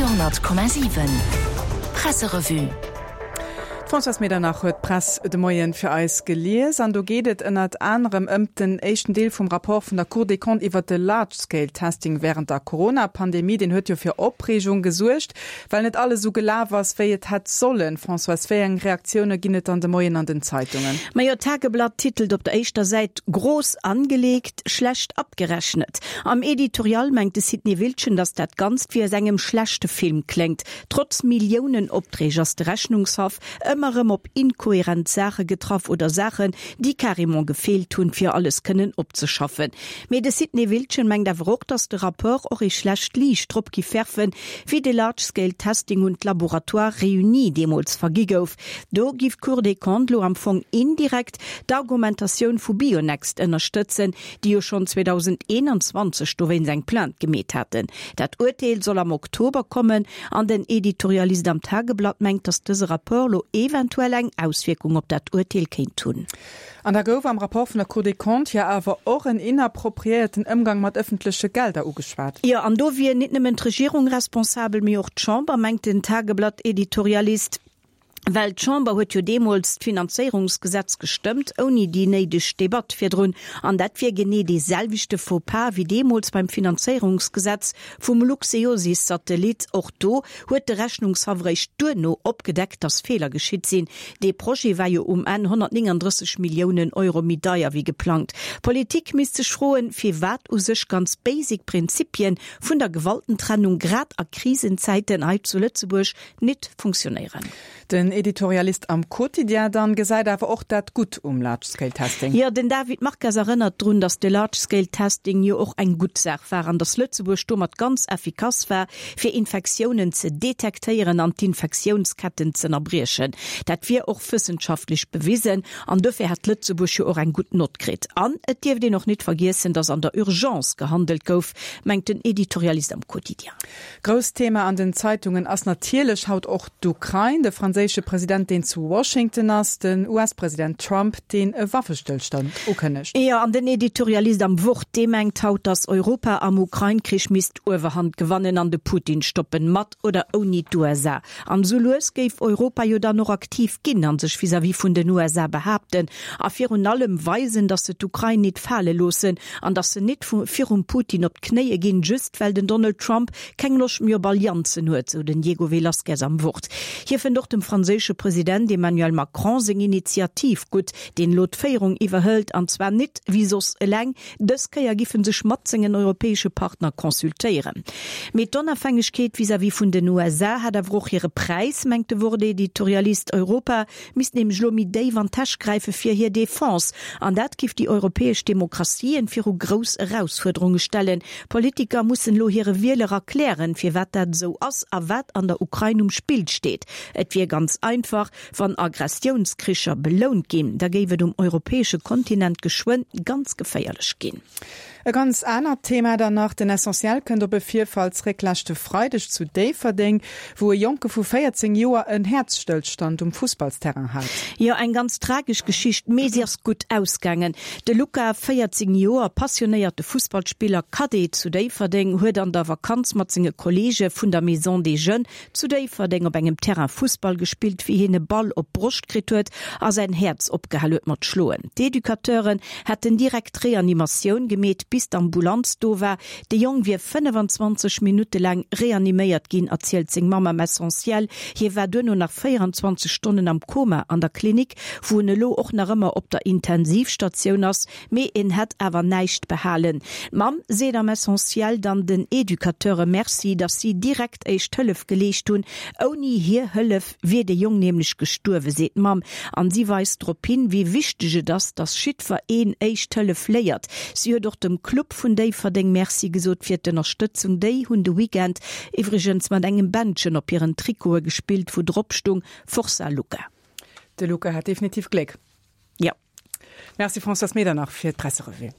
Radio 10,7 Presserevue. D'Françoise Medernach huet d'Press de Moien fir eis gelies an do geet et ënnert anerem ëmt den éischten Deel vum Rapport vun der Cour des Comptes iwwert de Large-Scale-Testing wärend der Corona-Pandemie. Deen huet jo fir Opreegung gesuergt, well net alles esou gelaf ass, wéi et hätt sollen. Françoise, wéi eng Reaktioune ginn et dann de Moien an den Zeitungen? Majo, d'Tageblatt titelt op der éischter Säit Groß angelegt, schlecht abgerechnet. Am Editorial mengt de Sidney Wiltgen, datt dat Ganzt wéi aus engem schlechte Film kléngt. Trotz Milliounen-Opträg ass de Rechnungshaff ëmmer erëm op inkohärent Saache getraff oder Saachen, déi carrément gefeelt hunn, fir alles kënnen opzeschaffen. Mee de Sidney Wiltgen mengt awer och, datt de Rapport och ee schlecht Liicht drop giff werfen, wéi de Large-Scale Testing un d'Laboratoires réunis deemools vergi gouf. Do giff d'Cour des Comptes lo am Fong indirekt d'Argumentatioun vu Bionext ënnerstëtzen, déi jo schonn 2021 dowéinst eng Plainte gemeet haten. Dat Urteel soll am Oktober kommen an den Editorialist am Tageblatt mengt, datt dëse Rapport lo eventuell eng Auswierkung op dat Urteel kéint hunn. An da gouf am Rapport vun der Cour des Comptes jo awer och en inappropriéierten Ëmgang mat ëffentleche Gelder ugeschwat. Jo, an do wier nit nëmmen d'Regierung responsabel, mee och d'Chamber, mengt den Tageblatt-Editorialist. Well d'Chamber huet jo deemools d'Finanzéierungsgesetz gestëmmt, ouni déi néideg Debatt virdrun. An dat wier genee dee selwechte Faux-pas wéi deemools beim Finanzéierungsgesetz vum Luxeosys-Satellit. Och do huet de Rechnungshaff eréischt duerno opgedeckt, datt Feeler geschitt sinn. Dee Projet war jo um Enn 139 Milliounen Euro méi deier wéi geplangt. D'Politik misst sech froen, firwat u sech ganz basic Prinzipien vun der Gewaltentrennung grad a Krisenzäiten hei zu Lëtzebuerg nit funktionéieren. Den Editorialist am Quotidien dann gesäit awer och dat Gutt um Large Scale Testing. Jo, den David Marques erënnert drun, datt de Large Scale Testing jo och eng gutt Saach war an datt Lëtzebuerg domat ganz effikass war, fir Infektiounen ze detektéieren an d'Infektiounsketten z'ënnerbriechen. Dat wier och wëssenschaftlech bewisen an dofir hätt Lëtzebuerg jo och eng gutt Nott kritt. An et dierft een och nit vergiessen, datt an der Urgence gehandelt gouf, mengt den Editorialist am Quotidien. Grousst Thema an den Zeitungen ass natierlech haut och d'Ukrain, de franséische President deen zu Washington ass, den US-President Trump deen e Waffestëllstand ukënnegt. Jo, an den Editorialist am Wort, dee mengt haut, datt Europa am Ukrain-Krich misst d'Uewerhand gewannen an de Putin stoppen, mat oder ouni d'USA. An esou lues géif Europa jo dann och aktiv ginn a sech vis-à-vis vun den USA behaapten a virun allem weisen, datt se d'Ukrain nit fale loossen an datt se nit virum Putin op d'Knéie ginn, just well den Donald Trump keng Loscht méi op Allianzen huet, sou den Diego Velázquez am Wort. Hie fënnt och dem franséische President Emmanuel Macron seng Initiativ gutt, deen elo d'Féierung iwwerhëlt, an zwar nit wéi soss eleng, Dës Kéier giff en sech mat sengen europäesche Partner consultéieren. Mee d'Onafhängegkeet vis-à-vis vun den USA hätt awer och hire Präis, mengt de Wort-Editorialist. Europa misst nämlech elo méi déif an d'Täsch gräife fir hir Defense. An dat giff déi europäesch Demokratien viru grouss Erausfuerderunge stellen. Politiker mussen elo hire Wieler erklären, firwat dat esou ass a wat an der Ukrain um Spill steet. Et wier ganz einfach, Wann Aggressiounskricher belount ginn, da géif et um europäesche Kontinent geschwënn ganz geféierlech ginn. E ganz anert Thema dann nach, Den Essentiel kënnt op e Virfall zréck leschte Freideg zu Déifferdeng, wou e Jonke vu 14 Joer en Häerzstëllstand um Fussballsterrain hat. Jo, eng ganz tragesch Geschicht, mee si ass gutt ausgaangen. De Luca, 14 Joer, passionéierte Fussballspiller, Cadet zu Déifferdeng, huet an der Vakanz mat senge Kolleege vun der Maison des Jeunes Zu Déifferdeng op engem Terrain Fussball gespillt, wéi hien e Ball op d'Broscht kritt huet a säin Häerz opgehal huet mat schloen. D'Educateuren hätten direkt Reanimatioun gemeet, bis d'Ambulanz do war. De Jong wier 25 Minutte laang reaniméiert ginn, erzielt seng Mamm am Essentiel. Hie war duerno nach 24 Stonnen am Koma an der Klinik, wou en elo och nach ëmmer op der Intensivstatioun ass. Mee en hätt awer näischt behalen. D'Mamm seet am Essentiel dann den Educateure Merci, datt si direkt éischt Hëllef geleescht hunn. Ouni hir Hëllef wier de Jong nämlech gestuerwen, seet d'Mamm. An si weist drop hin, wéi wichteg et ass, datt jiddwer een éischt Hëllef léiert. Si huet och dem Club vun Déifferdeng Merci gesot fir d'Ënnerstëtzung. Déi hunn de Weekend iwwregens mat engem Bändchen op hiren Trikote gespillt, wou drop stung, Forza Luca. De Luca hat definitiv Gléck. Jo. Merci Françoise Medernach fir d'Presserevue.